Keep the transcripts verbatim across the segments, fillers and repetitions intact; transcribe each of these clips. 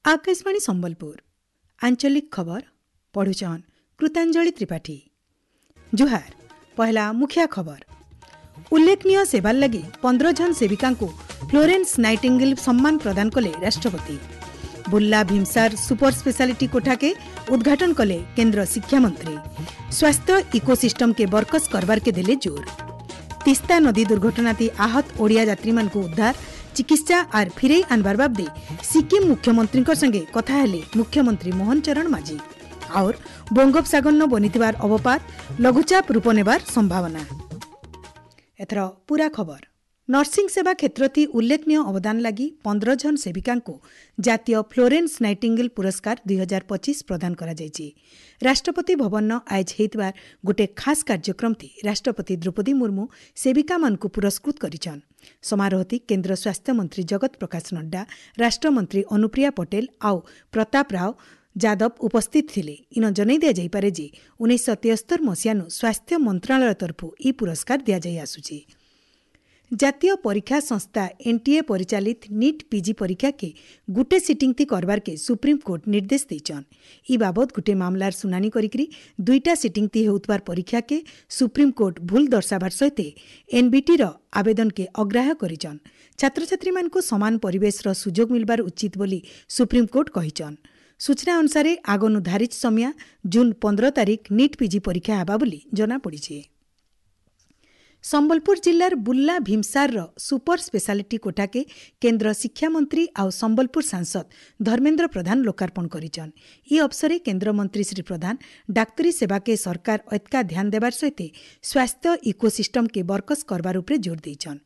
Akashvani Sambalpur ଆଞ୍ଚଳିକ ଖବର ପଢୁଛନ୍ କୃତାଞ୍ଜଳି ତ୍ରିପାଠୀ। ଜୁହାର। ପହଲା ମୁଖିଆ ଖବର। ଉଲ୍ଲେଖନୀୟ ସେବାର ଲାଗି ପନ୍ଦର ଜଣ ସେବିକାଙ୍କୁ ଫ୍ଲୋରେନ୍ସ ନାଇଟିଙ୍ଗେଲ ସମ୍ମାନ ପ୍ରଦାନ କଲେ ରାଷ୍ଟ୍ରପତି। ବୁର୍ଲା ଭୀମସାର ସୁପର ସ୍ପେଶାଲିଟି କୋଠାକେ ଉଦ୍ଘାଟନ କଲେ କେନ୍ଦ୍ର ଶିକ୍ଷାମନ୍ତ୍ରୀ। ସ୍ୱାସ୍ଥ୍ୟ ଇକୋସିଷ୍ଟମକେ ବରକସ କରବାରକେ ଦେଲେ ଜୋର। ତିସ୍ତା ନଦୀ ଦୁର୍ଘଟଣାତି ଆହତ ଓଡ଼ିଆ ଯାତ୍ରୀମାନଙ୍କୁ ଉଦ୍ଧାର, ଚିକିତ୍ସା ଆର୍ ଫିରେଇ ଆନବାର ବାବଦେ ସିକିମ୍ ମୁଖ୍ୟମନ୍ତ୍ରୀଙ୍କ ସଙ୍ଗେ କଥା ହେଲେ ମୁଖ୍ୟମନ୍ତ୍ରୀ ମୋହନ ଚରଣ ମାଝୀ। ଆଉର ବଙ୍ଗୋପସାଗରନ ବନିଥିବାର ଅବପାତ ଲଘୁଚାପ ରୂପ ନେବାର ସମ୍ଭାବନା। ଏଥର ପୁରା ଖବର। ନର୍ସିଂ ସେବା କ୍ଷେତ୍ରତି ଉଲ୍ଲେଖନୀୟ ଅବଦାନ ଲାଗି ପନ୍ଦର ଜଣ ସେବିକାଙ୍କୁ ଜାତୀୟ ଫ୍ଲୋରେନ୍ସ ନାଇଟିଙ୍ଗେଲ ପୁରସ୍କାର ଦୁଇ ହଜାର ପଚିଶ ପ୍ରଦାନ କରାଯାଇଛି। ରାଷ୍ଟ୍ରପତି ଭବନ ଆୟୋଜ ହେଇଥିବାର ଗୋଟିଏ ଖାସ୍ କାର୍ଯ୍ୟକ୍ରମତି ରାଷ୍ଟ୍ରପତି ଦ୍ରୌପଦୀ ମୁର୍ମୁ ସେବିକାମାନଙ୍କୁ ପୁରସ୍କୃତ କରିଛନ୍। ସମାରୋହତି କେନ୍ଦ୍ର ସ୍ୱାସ୍ଥ୍ୟମନ୍ତ୍ରୀ ଜଗତ ପ୍ରକାଶ ନଡ୍ଡା, ରାଷ୍ଟ୍ରମନ୍ତ୍ରୀ ଅନୁପ୍ରିୟା ପଟେଲ ଆଉ ପ୍ରତାପ ରାଓ ଯାଦବ ଉପସ୍ଥିତ ଥିଲେ। ଇନ ଜଣାଇ ଦିଆଯାଇପାରେ ଯେ ଉଣେଇଶହ ତେସ୍ତର ମସିହାନୁ ସ୍ୱାସ୍ଥ୍ୟ ମନ୍ତ୍ରଣାଳୟ ତରଫରୁ ଏହି ପୁରସ୍କାର ଦିଆଯାଇ ଆସୁଛି। ଜାତୀୟ ପରୀକ୍ଷା ସଂସ୍ଥା ଏନ୍ଟିଏ ପରିଚାଳିତ ନିଟ୍ ପିଜି ପରୀକ୍ଷାକେ ଗୁଟେ ସିଟିଂ ଥି କରବାରକେ ସୁପ୍ରିମକୋର୍ଟ ନିର୍ଦ୍ଦେଶ ଦେଇଛନ୍। ଇ ବାବଦ ଗୁଟେ ମାମଲାର ଶୁଣାଣି କରିକିରି ଦୁଇଟା ସିଟିଂ ଥି ହେଉଥିବାର ପରୀକ୍ଷାକେ ସୁପ୍ରିମକୋର୍ଟ ଭୁଲ ଦର୍ଶାବାର ସହିତ ଏନ୍ବିଟିର ଆବେଦନକେ ଅଗ୍ରାହ୍ୟ କରିଛନ୍। ଛାତ୍ରଛାତ୍ରୀମାନଙ୍କୁ ସମାନ ପରିବେଶର ସୁଯୋଗ ମିଲବାର ଉଚିତ ବୋଲି ସୁପ୍ରିମକୋର୍ଟ କହିଛନ୍। ସୂଚନା ଅନୁସାରେ ଆଗନୁ ଧାରିତ ସମିଆ ଜୁନ୍ ପନ୍ଦର ତାରିଖ ନିଟ୍ ପିଜି ପରୀକ୍ଷା ହେବା ବୋଲି ଜଣାପଡ଼ିଛି। ସମ୍ବଲପୁର ଜିଲ୍ଲାର ବୁର୍ଲା ଭୀମସାରର ସୁପର ସ୍ପେଶାଲିଟି କୋଠାକେ କେନ୍ଦ୍ର ଶିକ୍ଷାମନ୍ତ୍ରୀ ଆଉ ସମ୍ବଲପୁର ସାଂସଦ ଧର୍ମେନ୍ଦ୍ର ପ୍ରଧାନ ଲୋକାର୍ପଣ କରିଛନ୍। ଇ ଅବସରେ କେନ୍ଦ୍ରମନ୍ତ୍ରୀ ଶ୍ରୀ ପ୍ରଧାନ ଡାକ୍ତରୀ ସେବାକେ ସରକାର ଅତ୍କା ଧ୍ୟାନ ଦେବାର ସହିତ ସ୍ୱାସ୍ଥ୍ୟ ଇକୋସିଷ୍ଟମକେ ବରକସ କରବାର ଉପରେ ଜୋର ଦେଇଛନ୍।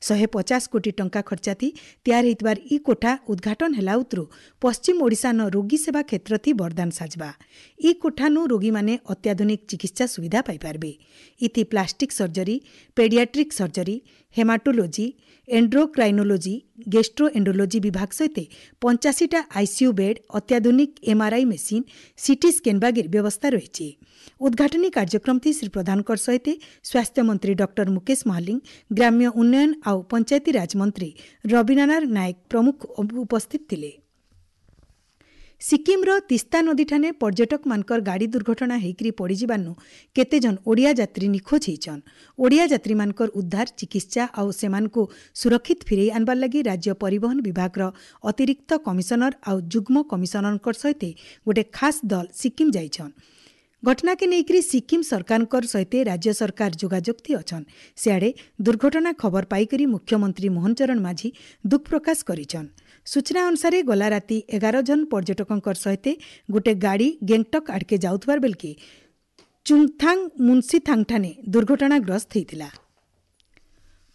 ଶହେ ପଚାଶ କୋଟି ଟଙ୍କା ଖର୍ଚ୍ଚାତି ତିଆରି ହେଇଥିବାର ଇ କୋଠା ଉଦ୍ଘାଟନ ହେଲା ଉତରୁ ପଶ୍ଚିମ ଓଡ଼ିଶାନ ରୋଗୀ ସେବା କ୍ଷେତ୍ରଥି ବରଦାନ ସାଜବା। ଇ କୋଠାନୁ ରୋଗୀମାନେ ଅତ୍ୟାଧୁନିକ ଚିକିତ୍ସା ସୁବିଧା ପାଇପାରିବେ। ଇଥି plastic surgery, paediatric surgery, haematology, endocrinology, gastroenterology ବିଭାଗ ସହିତ ପଞ୍ଚାଅଶୀଟା ଆଇସିୟୁ ବେଡ୍, ଅତ୍ୟାଧୁନିକ ଏମ୍ଆର୍ଆଇ ମେସିନ୍, ସିଟି ସ୍କାନ୍ ବାଗିର ବ୍ୟବସ୍ଥା ରହିଛି। ଉଦ୍ଘାଟନୀ କାର୍ଯ୍ୟକ୍ରମଥି ଶ୍ରୀ ପ୍ରଧାନଙ୍କ ସହିତ ସ୍ୱାସ୍ଥ୍ୟମନ୍ତ୍ରୀ ଡକ୍ଟର ମୁକେଶ ମହାଲିଙ୍ଗ, ଗ୍ରାମ୍ୟ ଉନ୍ନୟନ ଆଉ ପଞ୍ଚାୟତିରାଜ ମନ୍ତ୍ରୀ ରବୀନ୍ଦ୍ରନାଥ ନାୟକ ପ୍ରମୁଖ ଉପସ୍ଥିତ ଥିଲେ। ସିକିମ୍ର ତିସ୍ତା ନଦୀଠାନେ ପର୍ଯ୍ୟଟକମାନଙ୍କର ଗାଡ଼ି ଦୁର୍ଘଟଣା ହେଇକରି ପଡ଼ିଯିବାନୁ କେତେଜଣ ଓଡ଼ିଆ ଯାତ୍ରୀ ନିଖୋଜ ହେଇଛନ୍। ଓଡ଼ିଆ ଯାତ୍ରୀମାନଙ୍କର ଉଦ୍ଧାର, ଚିକିତ୍ସା ଆଉ ସେମାନଙ୍କୁ ସୁରକ୍ଷିତ ଫିରେଇ ଆନବାର ଲାଗି ରାଜ୍ୟ ପରିବହନ ବିଭାଗର ଅତିରିକ୍ତ କମିଶନର ଆଉ ଯୁଗ୍ମ କମିଶନରଙ୍କ ସହିତ ଗୋଟେ ଖାସ୍ ଦଳ ସିକିମ୍ ଯାଇଛନ୍। ଘଟଣାକେ ନେଇକରି ସିକିମ୍ ସରକାରଙ୍କର ସହିତ ରାଜ୍ୟ ସରକାର ଯୋଗାଯୋଗ ଅଛନ୍। ସିଆଡ଼େ ଦୁର୍ଘଟଣା ଖବର ପାଇକରି ମୁଖ୍ୟମନ୍ତ୍ରୀ ମୋହନ ଚରଣ ମାଝୀ ଦୁଃଖ ପ୍ରକାଶ କରିଛନ୍। ସୂଚନା ଅନୁସାରେ ଗଲା ରାତି ଏଗାର ଜଣ ପର୍ଯ୍ୟଟକଙ୍କର ସହିତ ଗୋଟେ ଗାଡ଼ି ଗେଙ୍ଗଟକ୍ ଆଡ଼କେ ଯାଉଥିବାର ବେଲକେ ଚୁଙ୍ଗଥାଙ୍ଗ ମୁନ୍ସିଥାଙ୍ଗଠାନେ ଦୁର୍ଘଟଣାଗ୍ରସ୍ତ ହେଇଥିଲା।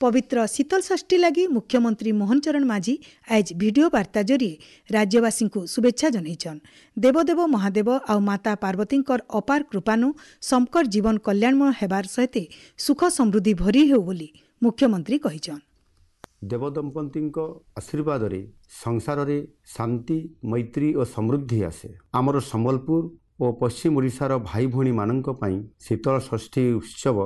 ପବିତ୍ର ଶୀତଳଷଷ୍ଠୀ ଲାଗି ମୁଖ୍ୟମନ୍ତ୍ରୀ ମୋହନ ଚରଣ ମାଝୀ ଆଜ ଭିଡିଓ ବାର୍ତ୍ତା ଜରିଏ ରାଜ୍ୟବାସୀଙ୍କୁ ଶୁଭେଚ୍ଛା ଜଣାଇଛନ୍। ଦେବଦେବ ମହାଦେବ ଆଉ ମାତା ପାର୍ବତୀଙ୍କର ଅପାର କୃପାନୁ ସମକର ଜୀବନ କଲ୍ୟାଣମୟ ହେବାର ସହିତ ସୁଖ ସମୃଦ୍ଧି ଭରି ହେଉ ବୋଲି ମୁଖ୍ୟମନ୍ତ୍ରୀ କହିଛନ୍। ଦେବଦମ୍ପତିଙ୍କ ଆଶୀର୍ବାଦରେ ସଂସାରରେ ଶାନ୍ତି, ମୈତ୍ରୀ ଓ ସମୃଦ୍ଧି ଆସେ। ଆମର ସମ୍ବଲପୁର ଓ ପଶ୍ଚିମ ଓଡ଼ିଶାର ଭାଇ ଭଉଣୀମାନଙ୍କ ପାଇଁ ଶୀତଳ ଷଷ୍ଠୀ ଉତ୍ସବ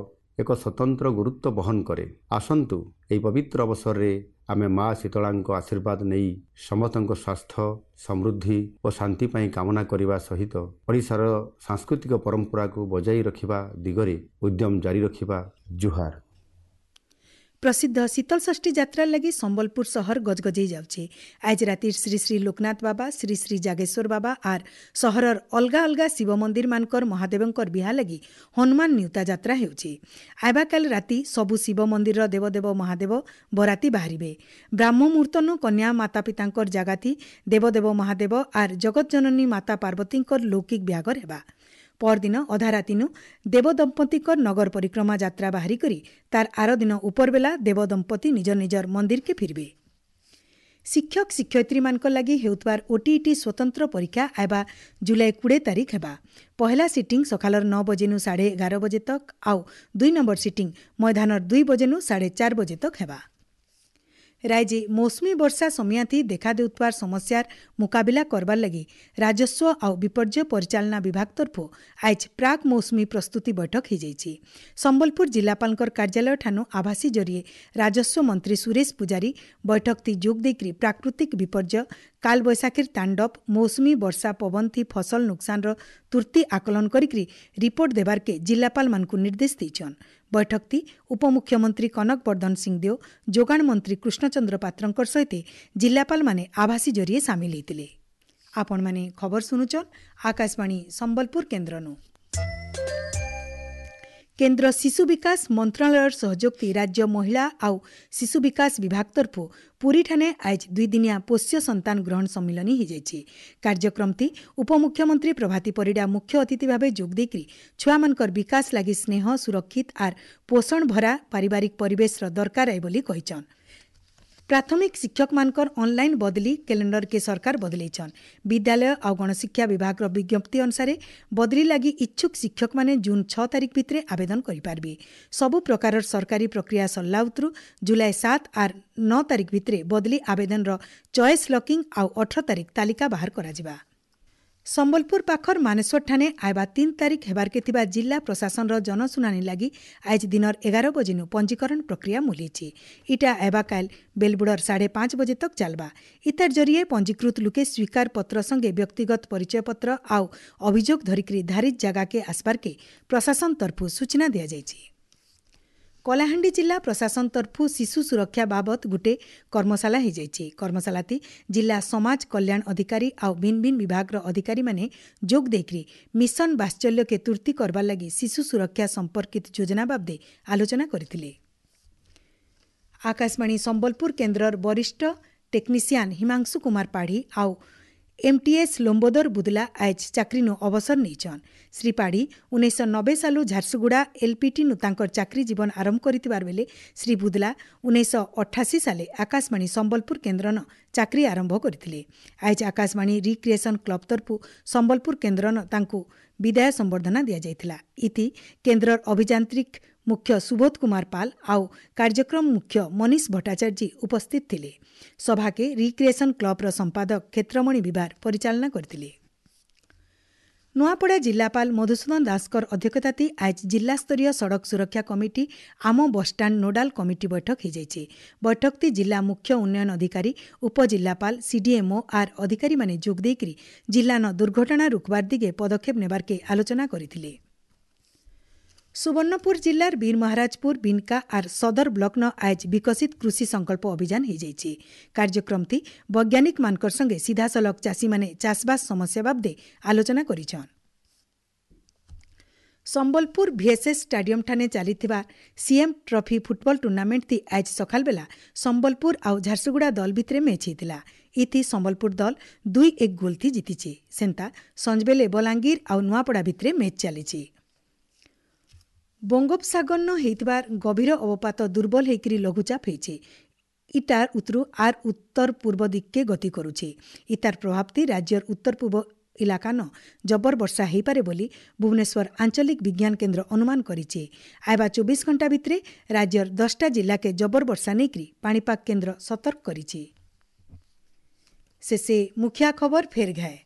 ଏକ ସ୍ୱତନ୍ତ୍ର ଗୁରୁତ୍ୱ ବହନ କରେ। ଆସନ୍ତୁ ଏହି ପବିତ୍ର ଅବସରରେ ଆମେ ମା ଶୀତଳାଙ୍କ ଆଶୀର୍ବାଦ ନେଇ ସମସ୍ତଙ୍କ ସ୍ୱାସ୍ଥ୍ୟ, ସମୃଦ୍ଧି ଓ ଶାନ୍ତି ପାଇଁ କାମନା କରିବା ସହିତ ଓଡ଼ିଶାର ସାଂସ୍କୃତିକ ପରମ୍ପରାକୁ ବଜାଇ ରଖିବା ଦିଗରେ ଉଦ୍ୟମ ଜାରି ରଖିବା। ଜୁହାର। ପ୍ରସିଦ୍ଧ ଶୀତଳଷଷ୍ଠୀ ଯାତ୍ରା ଲାଗି ସମ୍ବଲପୁର ସହର ଗଜଗଜେଇ ଯାଉଛି। ଆଜ ରାତି ଶ୍ରୀ ଶ୍ରୀ ଲୋକନାଥ ବାବା, ଶ୍ରୀ ଶ୍ରୀ ଜାଗେଶ୍ୱର ବାବା ଆର୍ ସହରର ଅଲଗା ଅଲଗା ଶିବ ମନ୍ଦିରମାନଙ୍କର ମହାଦେବଙ୍କର ବିହା ଲାଗି ହନୁମାନ ନିଉତା ଯାତ୍ରା ହେଉଛି। ଆଇବାକାଲ ରାତି ସବୁ ଶିବ ମନ୍ଦିରର ଦେବଦେବ ମହାଦେବ ବରାତି ବାହାରିବେ। ବ୍ରାହ୍ମ ମୁହୂର୍ତ୍ତନୁ କନ୍ୟା ମାତା ପିତାଙ୍କର ଜାଗାଥି ଦେବଦେବ ମହାଦେବ ଆର୍ ଜଗତଜନନୀ ମାତା ପାର୍ବତୀଙ୍କର ଲୌକିକ ବିହାଘର ହେବା। ପରଦିନ ଅଧା ରାତିନୁ ଦେବଦମ୍ପତିଙ୍କର ନଗର ପରିକ୍ରମା ଯାତ୍ରା ବାହାରି କରି ତାର ଆର ଦିନ ଉପରବେଲା ଦେବଦମ୍ପତି ନିଜ ନିଜର ମନ୍ଦିରକେ ଫିରବେ। ଶିକ୍ଷକ ଶିକ୍ଷୟିତ୍ରୀମାନଙ୍କ ଲାଗି ହେଉଥିବାର ଓଟିଇଟି ସ୍ୱତନ୍ତ୍ର ପରୀକ୍ଷା ଆଇବା ଜୁଲାଇ କୋଡ଼ିଏ ତାରିଖ ହେବା। ପହଲା ସିଟିଂ ସକାଳର ନଅ ବଜେନୁ ସାଢ଼େ ଏଗାର ବଜେ ତକ୍ ଆଉ ଦୁଇ ନମ୍ବର ସିଟିଂ ମଇଦାନର ଦୁଇ ବଜେନୁ ସାଢ଼େ ଚାରି ବଜେ ତକ୍ ହେବା। ରାଜ୍ୟେ ମୌସୁମୀ ବର୍ଷା ସମିଆଥି ଦେଖା ଦେଉଥିବାର ସମସ୍ୟାର ମୁକାବିଲା କରବାର୍ ଲାଗି ରାଜସ୍ୱ ଆଉ ବିପର୍ଯ୍ୟୟ ପରିଚାଳନା ବିଭାଗ ତରଫୁ ଆଜ୍ ପ୍ରାକ୍ ମୌସୁମୀ ପ୍ରସ୍ତୁତି ବୈଠକ ହୋଇଯାଇଛି। ସମ୍ବଲପୁର ଜିଲ୍ଲାପାଳଙ୍କର କାର୍ଯ୍ୟାଳୟ ଠାନୁ ଆଭାସୀ ଜରିଏ ରାଜସ୍ୱ ମନ୍ତ୍ରୀ ସୁରେଶ ପୂଜାରୀ ବୈଠକତି ଯୋଗ ଦେଇକରି ପ୍ରାକୃତିକ ବିପର୍ଯ୍ୟୟ, କାଲବୈଶାଖୀର ତାଣ୍ଡବ, ମୌସୁମୀ ବର୍ଷା ପବନଥି ଫସଲ ନୁକସାନର ତୁର୍ତ୍ତି ଆକଳନ କରିକି ରିପୋର୍ଟ ଦେବାର୍କେ ଜିଲ୍ଲାପାଳମାନଙ୍କୁ ନିର୍ଦ୍ଦେଶ ଦେଇଛନ୍। ବୈଠକତି ଉପମୁଖ୍ୟମନ୍ତ୍ରୀ କନକ ବର୍ଦ୍ଧନ ସିଂଦେଓ, ଯୋଗାଣ ମନ୍ତ୍ରୀ କୃଷ୍ଣଚନ୍ଦ୍ର ପାତ୍ରଙ୍କର ସହିତ ଜିଲ୍ଲାପାଳମାନେ ଆଭାସୀ ଜରିଏ ସାମିଲ ହୋଇଥିଲେ। ଆପଣମାନେ ଖବର ଶୁଣୁଛନ୍ ଆକାଶବାଣୀ ସମ୍ବଲପୁର କେନ୍ଦ୍ରନୁ। କେନ୍ଦ୍ର ଶିଶୁ ବିକାଶ ମନ୍ତ୍ରଣାଳୟର ସହଯୋଗତି ରାଜ୍ୟ ମହିଳା ଆଉ ଶିଶୁ ବିକାଶ ବିଭାଗ ତରଫୁ ପୁରୀଠାନେ ଆଜ୍ ଦୁଇଦିନିଆ ପୋଷ୍ୟ ସନ୍ତାନ ଗ୍ରହଣ ସମ୍ମିଳନୀ ହୋଇଯାଇଛି। କାର୍ଯ୍ୟକ୍ରମଟି ଉପମୁଖ୍ୟମନ୍ତ୍ରୀ ପ୍ରଭାତୀ ପରିଡ଼ା ମୁଖ୍ୟ ଅତିଥି ଭାବେ ଯୋଗ ଦେଇକରି ଛୁଆମାନଙ୍କର ବିକାଶ ଲାଗି ସ୍ନେହ, ସୁରକ୍ଷିତ ଆର୍ ପୋଷଣ ଭରା ପାରିବାରିକ ପରିବେଶର ଦରକାର ଆଏ ବୋଲି କହିଛନ୍। ପ୍ରାଥମିକ ଶିକ୍ଷକମାନଙ୍କର ଅନଲାଇନ୍ ବଦଲି କ୍ୟାଲେଣ୍ଡରକେ ସରକାର ବଦଲେଇଛନ୍। ବିଦ୍ୟାଳୟ ଆଉ ଗଣଶିକ୍ଷା ବିଭାଗର ବିଜ୍ଞପ୍ତି ଅନୁସାରେ ବଦଲି ଲାଗି ଇଚ୍ଛୁକ ଶିକ୍ଷକମାନେ ଜୁନ୍ ଛଅ ତାରିଖ ଭିତରେ ଆବେଦନ କରିପାରିବେ। ସବୁ ପ୍ରକାରର ସରକାରୀ ପ୍ରକ୍ରିୟା ସରିଲା ଉତରୁ ଜୁଲାଇ ସାତ ଆର୍ ନଅ ତାରିଖ ଭିତରେ ବଦଲି ଆବେଦନର ଚଏସ୍ ଲକିଂ ଆଉ ଅଠର ତାରିଖ ତାଲିକା ବାହାର କରାଯିବା। ସମ୍ବଲପୁର ପାଖର ମାନେଶ୍ୱରଠାନେ ଆଇବା ତିନି ତାରିଖ ହେବାର୍କେ ଥିବା ଜିଲ୍ଲା ପ୍ରଶାସନର ଜନଶୁଣାଣି ଲାଗି ଆଜ୍ ଦିନର ଏଗାର ବଜେନୁ ପଞ୍ଜୀକରଣ ପ୍ରକ୍ରିୟା ମୁଲିଛି। ଇଟା ଆଇବା କାଲ ବେଲବୁଡ଼ର ସାଢ଼େ ପାଞ୍ଚ ବଜେ ତକ୍ ଚାଲବା। ଇତାର ଜରିଏ ପଞ୍ଜୀକୃତ ଲୁକେ ସ୍ୱୀକାର ପତ୍ର ସଙ୍ଗେ ବ୍ୟକ୍ତିଗତ ପରିଚୟପତ୍ର ଆଉ ଅଭିଯୋଗ ଧରିକରି ଧାରିତ ଜାଗାକେ ଆସବାର୍କେ ପ୍ରଶାସନ ତରଫୁ ସୂଚନା ଦିଆଯାଇଛି। କଳାହାଣ୍ଡି ଜିଲ୍ଲା ପ୍ରଶାସନ ତରଫୁ ଶିଶୁ ସୁରକ୍ଷା ବାବଦ ଗୁଟେ କର୍ମଶାଳା ହୋଇଯାଇଛି। କର୍ମଶାଳାତି ଜିଲ୍ଲା ସମାଜ କଲ୍ୟାଣ ଅଧିକାରୀ ଆଉ ଭିନ୍ ଭିନ୍ ବିଭାଗର ଅଧିକାରୀମାନେ ଯୋଗ ଦେଇକରି ମିଶନ ବାତ୍ସଲ୍ୟକେ ତୁର୍ତ୍ତି କରବାର୍ ଲାଗି ଶିଶୁ ସୁରକ୍ଷା ସମ୍ପର୍କିତ ଯୋଜନା ବାବଦେ ଆଲୋଚନା କରିଥିଲେ। ଆକାଶବାଣୀ ସମ୍ବଲପୁର କେନ୍ଦ୍ରର ବରିଷ୍ଠ ଟେକ୍ନିସିଆନ୍ ହିମାଂଶୁ କୁମାର ପାଢ଼ୀ ଆଉ ଏମ୍ଟିଏସ୍ ଲମ୍ବୋଦର ବୁଦଲା ଆଜ୍ ଚାକିରିନୁ ଅବସର ନେଇଛନ୍। ଶ୍ରୀ ପାଢ଼ୀ ଉଣେଇଶହ ନବେ ସାଲୁ ଝାରସୁଗୁଡ଼ା ଏଲ୍ପିଟିନୁ ତାଙ୍କର ଚାକିରି ଜୀବନ ଆରମ୍ଭ କରିଥିବାର ବେଲେ ଶ୍ରୀ ବୁଦଲା ଉଣେଇଶହ ଅଠାଅଶୀ ସାଲେ ଆକାଶବାଣୀ ସମ୍ବଲପୁର କେନ୍ଦ୍ରନ ଚାକିରି ଆରମ୍ଭ କରିଥିଲେ। ଆଜ୍ ଆକାଶବାଣୀ ରିକ୍ରିଏସନ୍ କ୍ଲବ୍ ତରଫୁ ସମ୍ବଲପୁର କେନ୍ଦ୍ରନ ତାଙ୍କୁ ବିଦାୟ ସମ୍ବର୍ଦ୍ଧନା ଦିଆଯାଇଥିଲା। ଇତି କେନ୍ଦ୍ରର ଅଭିଯାନ୍ତ୍ରିକ ମୁଖ୍ୟ ସୁବୋଧ କୁମାର ପାଲ ଆଉ କାର୍ଯ୍ୟକ୍ରମ ମୁଖ୍ୟ ମନୀଷ ଭଟ୍ଟାଚାର୍ଯ୍ୟ ଉପସ୍ଥିତ ଥିଲେ। ସଭାକେ ରିକ୍ରିଏସନ୍ କ୍ଲବ୍ର ସମ୍ପାଦକ କ୍ଷେତ୍ରମଣି ବିଭାର ପରିଚାଳନା କରିଥିଲେ। ନୂଆପଡ଼ା ଜିଲ୍ଲାପାଳ ମଧୁସୂଦନ ଦାସଙ୍କର ଅଧ୍ୟକ୍ଷତାତି ଆଜ୍ ଜିଲ୍ଲାସ୍ତରୀୟ ସଡ଼କ ସୁରକ୍ଷା କମିଟି ଆମ ବସ୍ଷ୍ଟାଣ୍ଡ ନୋଡାଲ କମିଟି ବୈଠକ ହୋଇଯାଇଛି। ବୈଠକଟି ଜିଲ୍ଲା ମୁଖ୍ୟ ଉନ୍ନୟନ ଅଧିକାରୀ, ଉପଜିଲ୍ଲାପାଳ, ସିଡିଏମ୍ଓ ଆର୍ ଅଧିକାରୀମାନେ ଯୋଗ ଦେଇକରି ଜିଲ୍ଲାନ ଦୁର୍ଘଟଣା ରୋକବାର ଦିଗେ ପଦକ୍ଷେପ ନେବାର୍କେ ଆଲୋଚନା କରିଥିଲେ। ସୁବର୍ଣ୍ଣପୁର ଜିଲ୍ଲାର ବୀରମହାରାଜପୁର, ବିନକା ଆର୍ ସଦର ବ୍ଲକ୍ନ ଆଜ୍ ବିକଶିତ କୃଷି ସଂକଳ୍ପ ଅଭିଯାନ ହୋଇଯାଇଛି। କାର୍ଯ୍ୟକ୍ରମଟି ବୈଜ୍ଞାନିକମାନଙ୍କର ସଙ୍ଗେ ସିଧାସଳଖ ଚାଷୀମାନେ ଚାଷବାସ ସମସ୍ୟା ବାବଦେ ଆଲୋଚନା କରିଛନ୍। ସମ୍ବଲପୁର ଭିଏସ୍ଏସ୍ ଷ୍ଟାଡିୟମ୍ଠାନେ ଚାଲିଥିବା ସିଏମ୍ ଟ୍ରଫି ଫୁଟବଲ ଟୁର୍ଣ୍ଣାମେଣ୍ଟଟି ଆଜ୍ ସକାଳବେଲା ସମ୍ବଲପୁର ଆଉ ଝାରସୁଗୁଡ଼ା ଦଳ ଭିତରେ ମ୍ୟାଚ୍ ହେଇଥିଲା। ଇଥି ସମ୍ବଲପୁର ଦଳ ଦୁଇ ଏକ ଗୋଲ୍ଥି ଜିତିଛି। ସେନ୍ତା ସଞ୍ଜବେଲେ ବଲାଙ୍ଗୀର ଆଉ ନୂଆପଡ଼ା ଭିତରେ ମ୍ୟାଚ୍ ଚାଲିଛି। ବଙ୍ଗୋପସାଗରନ ହେଇଥିବାର ଗଭୀର ଅବପାତ ଦୁର୍ବଳ ହେଇକରି ଲଘୁଚାପ ହେଇଛି। ଇଟାର ଉତ୍ତରୁ ଆର୍ ଉତ୍ତର ପୂର୍ବ ଦିଗକେ ଗତି କରୁଛି। ଇତାର ପ୍ରଭାବତି ରାଜ୍ୟର ଉତ୍ତର ପୂର୍ବ ଇଲାକାନ ଜବର ବର୍ଷା ହେଇପାରେ ବୋଲି ଭୁବନେଶ୍ୱର ଆଞ୍ଚଳିକ ବିଜ୍ଞାନ କେନ୍ଦ୍ର ଅନୁମାନ କରିଛି। ଆଇବା ଚବିଶ ଘଣ୍ଟା ଭିତରେ ରାଜ୍ୟର ଦଶଟା ଜିଲ୍ଲାକେ ଜବର ବର୍ଷା ନେଇକରି ପାଣିପାଗ କେନ୍ଦ୍ର ସତର୍କ କରିଛି। ଶେଷେ ମୁଖିଆ ଖବର ଫେର୍ ଘାଏ।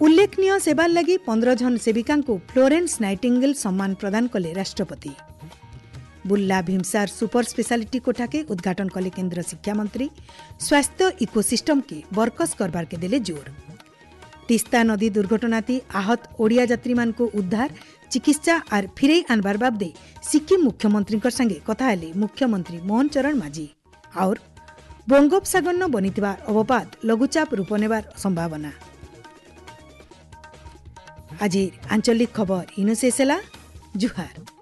ଉଲ୍ଲେଖନୀୟ ସେବାର ଲାଗି ପନ୍ଦର ଜଣ ସେବିକାଙ୍କୁ ଫ୍ଲୋରେନ୍ସ ନାଇଟିଙ୍ଗେଲ୍ ସମ୍ମାନ ପ୍ରଦାନ କଲେ ରାଷ୍ଟ୍ରପତି। ବୁର୍ଲା ଭୀମସାର ସୁପର ସ୍ପେଶାଲିଟି କୋଠାକେ ଉଦ୍ଘାଟନ କଲେ କେନ୍ଦ୍ର ଶିକ୍ଷାମନ୍ତ୍ରୀ। ସ୍ୱାସ୍ଥ୍ୟ ଇକୋସିଷ୍ଟମକେ ବରକସ କରବାର୍କେ ଦେଲେ ଜୋର। ତିସ୍ତା ନଦୀ ଦୁର୍ଘଟଣାତି ଆହତ ଓଡ଼ିଆ ଯାତ୍ରୀମାନଙ୍କୁ ଉଦ୍ଧାର, ଚିକିତ୍ସା ଆର୍ ଫିରେଇ ଆନବାର ବାବଦେ ସିକିମ୍ ମୁଖ୍ୟମନ୍ତ୍ରୀଙ୍କ ସାଙ୍ଗେ କଥା ହେଲେ ମୁଖ୍ୟମନ୍ତ୍ରୀ ମୋହନ ଚରଣ ମାଝୀ। ଆଉର୍ ବଙ୍ଗୋପସାଗରନ ବନିଥିବା ଅବପାତ ଲଘୁଚାପ ରୂପ ନେବାର ସମ୍ଭାବନା। ଆଜି ଆଞ୍ଚଳିକ ଖବର ଇନୁ ଶେଷ ହେଲା। ଜୁହାର।